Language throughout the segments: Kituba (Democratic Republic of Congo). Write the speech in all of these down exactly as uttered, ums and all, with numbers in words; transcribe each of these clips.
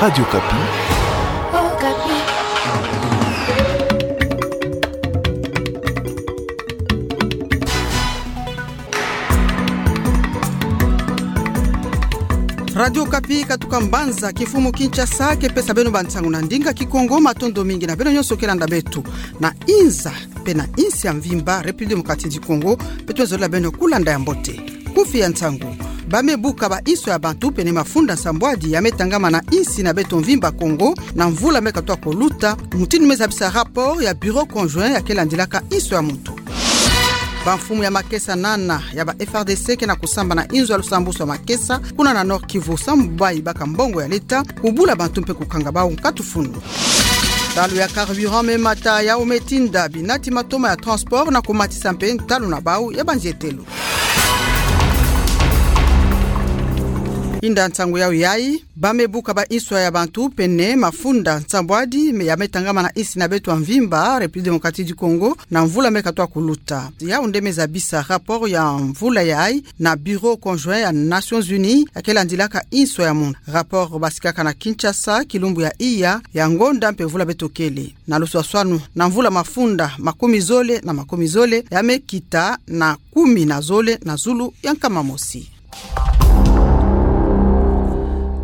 Radio Okapi. Radio Okapi katuka mbanza kifumu Kinshasa, ke pesa beno bansangu na ndinga Kikongo. Matondo mingi na beno nyonso ke landa beto na inza mpe na insi ya mvimba République Démocratique du Congo, beto zola beno kulanda ya mbote. Kufi ya nsangu: ba me buka ba inso ya bantu pene mafunda nsambwadi ya me tangama na insi na beto mvimba Kongo na mvula me katwa kuluta, mutindu me zabisa rapport ya Bureau Conjoint ya ke landilaka inso ya muntu. Ba mfumu ya makesa nana ya ba F R D C ke na kusamba na inzo ya lusambusu ya makesa kuna na Nord-Kivu, sambu ba yibaka mbongo ya leta, kubula bantu mpe kukanga bau nkatu funu. Ntalu ya carburant me mata yau me tinda binati matoma ya transport na kumatisa mpe ntalu na bau ya banzietelo. Inda nsangu yau yai: ba me buka ba inso ya bantu pene mafunda nsambwadi me ya me tangama na insi na beto ya mvimba République Démocratique du Congo na mvula me katwa kuluta. Yau nde me zabisa rapport ya mvula yai na Bureau Conjoint ya Nations Unies ya ke landilaka inso ya muntu. Rapport basikaka na Kinshasa kilumbu ya iya ya ngonda mpe vula beto kele. Na luswaswanu, na mvula mafunda makumi zole na makumi zole ya me kita na kumi na zole na zulu ya nkama mosi.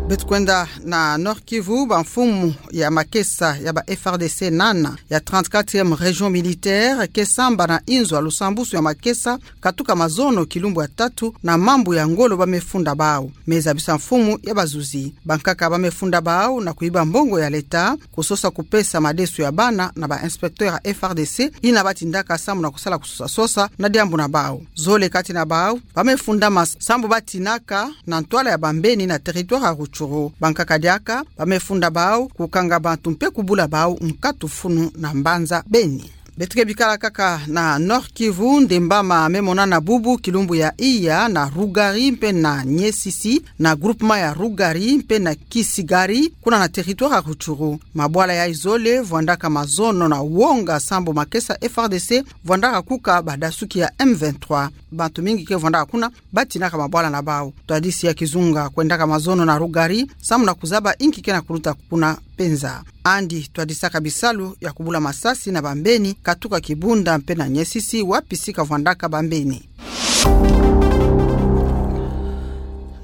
Beto kwenda na Nord-Kivu, ba mfumu ya makesa ya ba F R D C nana ya trente-quatrième région militaire ke samba na inzo ya lusambusu ya makesa katuka mazono kilumbu ya tatu na mambu ya ngolo ba me funda bau, me zabisa mfumu ya bazuzi. Bankaka ba me funda bau na kuyiba mbongo ya leta, kusosa kupesa madesu ya bana na ba inspecteur ya F R D C yina ba tindaka sambu na kusala kusosa-sosa na diambu na bau. Zole kati na bau ba me fundama sambu ba tinaka na ntwala ya bambeni na territoire ya Rutshuru. Bankaka diaka ba me funda bau, kukanga bantu mpe kubula bau nkatu funu na mbanza Beni. Beto ke bikala kaka na Nord-Kivu, ndemba ma me monana bubu kilumbu ya iya na Rugari mpe na Niesisi, na groupement ya Rugari mpe na Kisigari, kuna na territoire ya Rutshuru. Mabwala yai zole vwandaka mazono na wonga sambu makesa F R D C vwandaka kuka badasuki ya M vingt-trois. Bantu mingi ke vwandaka kuna ba tinaka mabwala na bau. Ntwadisi ya kizunga kwendaka mazono na Rugari sambu na kuzaba inki ke na kuluta kuna penza. Andi twadisaka bisalu ya kubula masasi na bambeni katuka Kibunda mpe na Niesisi, wapi sika vwandaka bambeni.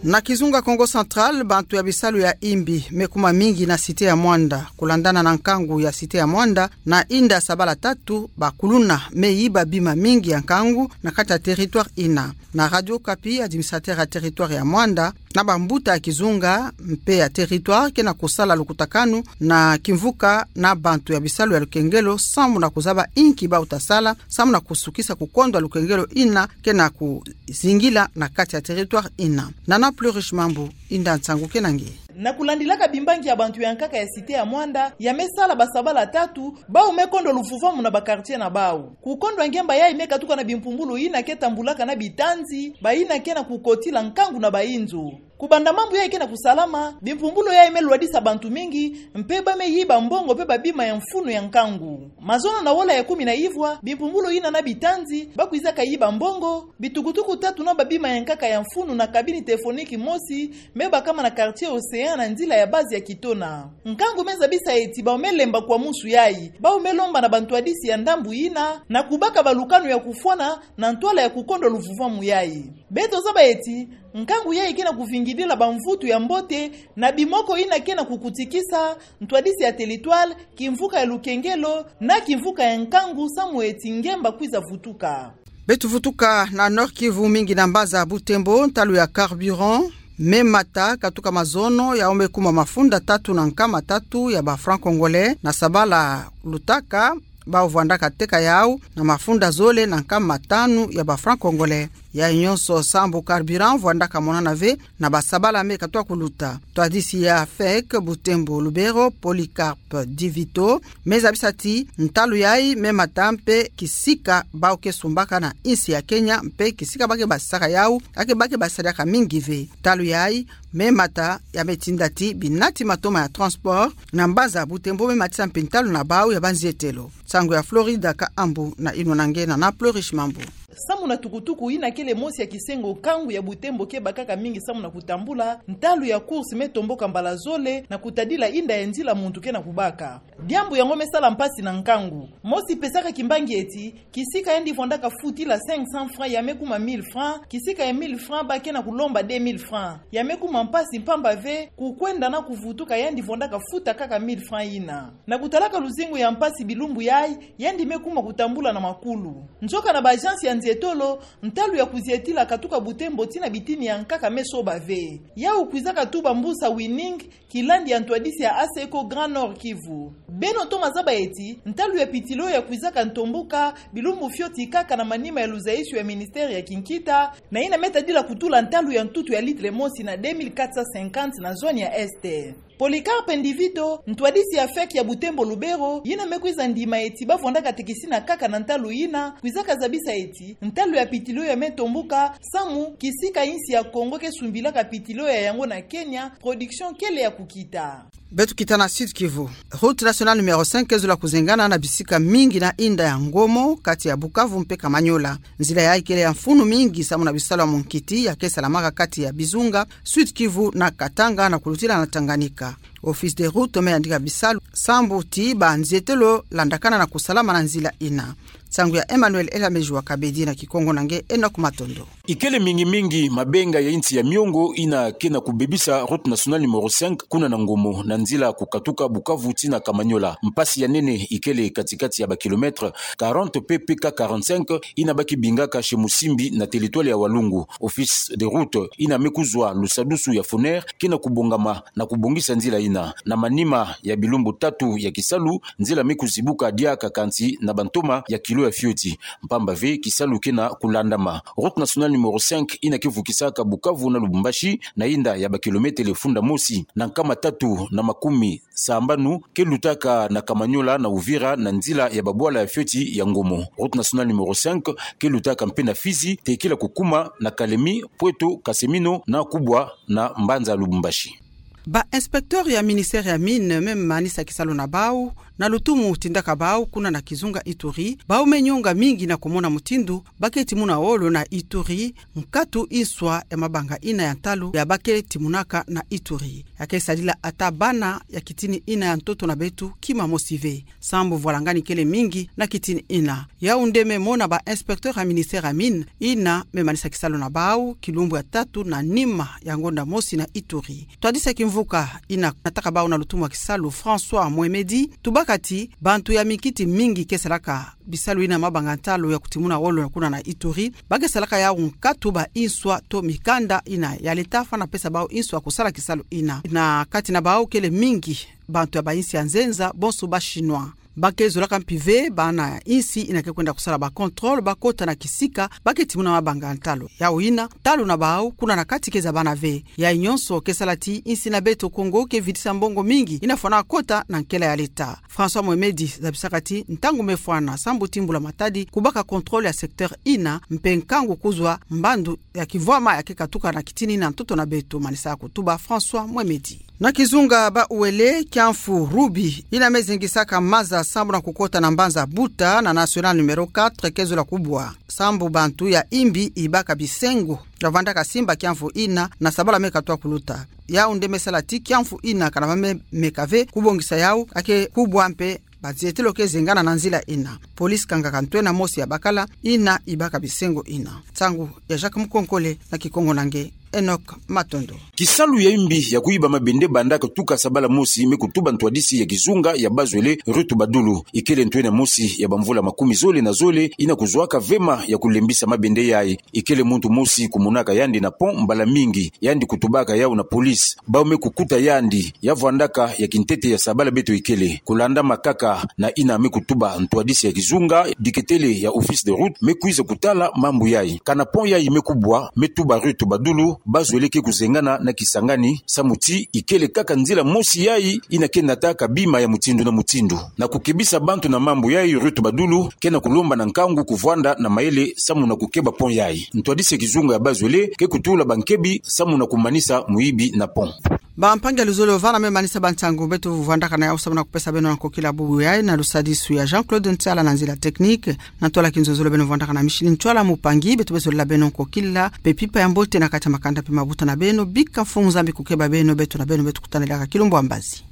Na kizunga Kongo Central, bantu ya bisalu ya imbi me kuma mingi na cité ya Muanda. Kulandana na nkangu ya cité ya Muanda, na inda sabala tatu, bakuluna me yiba bima mingi ya nkangu na kati ya territoire yina. Na Radio Okapi, administrateur ya territoire ya Muanda na bambuta ya kizunga mpe ya territoire ke na kusala lukutakanu na kimvuka na bantu ya bisalu ya lukengelo sambu na kuzaba inki bau ta sala sambu na kusukisa kukondwa lukengelo yina ke na kuzingila na kati ya territoire yina. Nana Plurish Mambu, inda nsangu ke na nge. Na kulandilaka bimbangi ya bantu ya nkaka ya cité ya Muanda ya me sala basabala tatu, bau me kondwa luvuvamu na baquartier na bau. Kukondwa ngemba yai me katuka na bimpumbulu yina ke tambulaka na bitanzi, bayina ke na kukotila nkangu na bainzo. Kubanda mambu yai ke na kusalama, bimpumbulu yai me lwadisa bantu mingi, mpe ba me yiba mbongo mpe babima ya mfunu ya nkangu. Mazono na wola ya kumi na ivwa, bimpumbulu yina na bitanzi ba kwizaka yiba mbongo, bitukutuku tatu na babima ya nkaka ya mfunu na cabine téléphonique mosi me bakama na quartier Océan na nzila ya base ya Kitona. Nkangu me zabisa eti bau me lemba kwa musu yai, bau me lomba na bantwadisi ya ndambu yina na kubaka balukanu ya kufwana na ntwala ya kukondwa luvuvamu yai. Beto zaba eti nkangu yai ke na kuvingidila bamvutu ya mbote na bimoko yina ke na kukutikisa ntwadisi ya territoire, kimvuka ya lukengelo na kimvuka ya nkangu samu eti ngemba kwiza vutuka. Beto vutuka na Nord-Kivu, mingi na mbaza ya Butembo, ntalu ya carburant me mata katuka mazono yau me kuma mafunda tatu na nkama tatu ya ba francs congolais na sabala lutaka, bau vwandaka teka yau na mafunda zole na nkama tanu ya ba francs congolais. Yai nyonso sambu carburant vwandaka monana ve na basabala me katwa kuluta. Ntwadisi ya FEC Butembo Lubero, Polycarpe Divito, me zabisa ti ntalu yai me mata mpe kisika bau ke sumbaka na insi ya Kenya mpe kisika ba ke basisaka yau, ake ba ke basisaka mingi ve. Ntalu yai me mata ya me tinda ti binati matoma ya transport na mbaza Butembo me matisa mpe ntalu na bau ya banzietelo. Nsangu ya Florida Kahambu na inwa na nge na Nana Plurish Mambu. Samu na tukutuku ina kele mosi ya kisengo, nkangu ya butembo ke bakaka mingi samu na kutambula, ntalu ya course me tomboka mbala zole na kutadila inda ya nzila muntu ke na kubaka. Diambu yango me sala mpasi na nkangu. Mosi pesaka kimbangi eti, kisika yandi vwandaka futila cinq cents francs ya me kuma mille francs, kisika ya mille francs ba ke na kulomba deux mille francs. Ya me kuma mpasi mpamba ve, kukwenda na kuvutuka yandi vwandaka futa kaka mille francs ina. Na kutalaka luzingu ya mpasi bilumbu yayi, yandi me kuma kutambula na makulu. Nzoka na ba agence ya nzietolo, ntalu ya kuzietila katuka butembo tii na bitini ya nkaka me soba ve. Yawu kwizaka tuba mbusa Winning, kilandi ya ntwadisi ya ASECO Grand Nord Kivu. Beno toma zaba eti, ntalu ya pitilo ya kwizaka ntomboka, bilumbu fioti kaka na manima ya luzayisio ya ministère ya kinkita, na ina me tadila kutula ntalu ya ntutu ya litre mosi na deux mille quatre cent cinquante na zone ya Est. Polycarpe Ndivito, ntwadisi ya FEC ya butembo Lubero, yina me kwiza ndima eti ba vwandaka tekisina kaka na ntalu yina, kwizaka zabisa eti, ntalu ya pitilo ya me tomboka, samu, kisika insi ya Congo ke sumbilaka pitilo ya yango na Kenya, production kele ya kukita. Beto kita na Sud-Kivu. Route nationale numéro cinq ke zola kuzengana na bisika mingi na inda ya Ngomo, kati ya Bukavu mpe Kamanyola. Nzila yayi kele ya mfunu mingi samu na bisalu ya munkiti ya ke salamaka kati ya bizunga Sud-Kivu na Katanga na kulutila na Tanganyika. Office des routes me yandika bisalu sambu tii ba nzietolo landakana na kusalama na nzila ina. Nsangu ya Emmanuel Elameji wa Kabedi na Kikongo na nge Enoch Matondo. Ikele mingi-mingi mabenga ya insi ya miongo ina ke na kubebisa route nationale numéro cinq kuna na Ngomo na nzila kukatuka Bukavu tii na Kamanyola. Mpasi ya nene ikele kati-kati ya ba kilomètres quarante P P K quarante-cinq ina ba ke bingaka chez Musimbi na territoire ya Walungu. Office des routes ina me kuzwa lusadusu ya FONER ke na kubongama na kubongisa nzila ina. Na manima ya bilumbu tatu ya kisalu, nzila me kuzibuka diaka kansi na bantoma ya kilo ya fioti. Mpamba ve kisalu ke na kulandama. Route nationale numéro cinq ina ke vukisaka Bukavu na Lubumbashi na inda ya ba kilomètres funda mosi na nkama tatu na makumi sambanu ke lutaka na Kamanyola na Uvira na nzila ya babwala ya fioti ya Ngomo. Route nationale numéro cinq ke lutaka mpe na Fizi, tekila kukuma na Kalemi, Pweto, Kasemino na kubwa na mbanza Lubumbashi. Ba inspecteurs ya ministère ya Mines me manisa kisalu na bawu, na lutumu tindaka bawu kuna na kizunga Ituri, bawu me nyonga mingi na kumona mutindu ba ke timuna wolo na Ituri, nkatu inswa ya mabanga ina ya ntalu ya ba ke timunaka na Ituri. Ya ke sadila ata bana ya kitini ina ya ntoto na beto kima mosi ve. Sambu vwalangani kele mingi na kitini ina. Yawu nde me mona ba inspecteurs ya ministère ya Mines ina me manisa kisalu na bawu, kilumbu ya tatu na nima ya ngonda mosi na Ituri. Ntwadisi ya kimvuka ina nataka bawu na lutumu ya kisalu François Mwemedi, tubaka ti bantu ya minkiti mingi ke salaka bisalu ina mabanga ntalu ya kutimuna wolo kuna na Ituri, ba ke salaka yawu nkatu ba inswa to mikanda ina ya leta fana pesa bawu inswa kusala kisalu ina. Na kati na bawu kele mingi bantu ya ba insi ya nzenza, bonso ba Chinois. Ba ke zolaka mpi ve bana ya insi ina ke kwenda kusala ba contrôle, ba kota na kisika ba ke timuna mabanga ntalu. Yawu ina, ntalu na bawu kuna na kati ke zabana ve. Yayi nyonso ke sala ti insi na beto Kongo ke vidisa mbongo mingi ina fwana kota na nkela ya leta. François Mwemedi zabisaka ti ntangu me fwana sambu ti mbula matadi kubaka contrôle ya secteur ina, mpe nkangu kuzwa mbandu ya kivwama ya ke katuka na kitini na ntoto na beto, manisa kutuba François Mwemedi. Na kizunga Bas-Uele, kiamfu Rubi ina me zingisaka maza sambu na kukota na mbanza Buta na nationale numéro quatre ke zola kubwa. Sambu bantu ya imbi ibaka bisengo ya vwandaka simba kiamfu ina na sabala me katwa kuluta. Yawu nde me sala ti kiamfu ina kana va me meka ve kubongisa yawu, ya ke kubwa mpe ba nzietolo ke zengana na nzila ina. Police kangaka ntwena mosi ya bakala ina ibaka bisengo ina. Nsangu ya Jacques Mukonkole na Kikongo na nge Enoch Matondo. Kisalu ya imbi ya kuiba mabende bandaka tuka sabala mosi, me kutuba ntwadisi ya kizunga ya Bas-Uele, Ruth Badulu. Ikele ntwena mosi ya bamvula makumi zole na zole ina kuzwaka vema ya kulembisa mabende yayi. Ikele muntu mosi kumonaka yandi na pont mbala mingi, yandi kutubaka yawu na police. Bawu me kukuta yandi ya vwandaka ya kintete ya sabala beto ikele. Kulandama kaka na ina me kutuba ntwadisi ya kizunga, diketele ya office de route me kwiza kutala mambu yayi. Kana pont yayi me kubwa, me tuba Ruth Badulu, Bas-Uele ke kuzengana na Kisangani, samu ti ikele kaka nzila mosi yayi ina ke nataka bima ya mutindu na mutindu. Na kukebisa bantu na mambu yayi, Ruth Badulu ke na kulomba na nkangu kuvwanda na mayele samu na kukeba pont yayi. Ntwadisi ya kizunga ya Bas-Uele ke kutula bankebi samu na kumanisa muibi na pont. Bampangi ya luzolo, vana me manisa ba nsangu beto vwandaka na yawu samu na kupesa beno na nkokila bubu yayi, na lusadisu ya Jean-Claude Ntiala na nzila technique. Na ntwala kinzonzolo beno vwandaka na Micheline Ntiala Mupangi, beto bezolela beno nkokila mpe mpimpa ya mbote na kati ya makanda mpe mabuta na beno. Bika mfumu Nzambi kukeba beno, beto na beno beto kutanelaka kilumbu ya mbazi.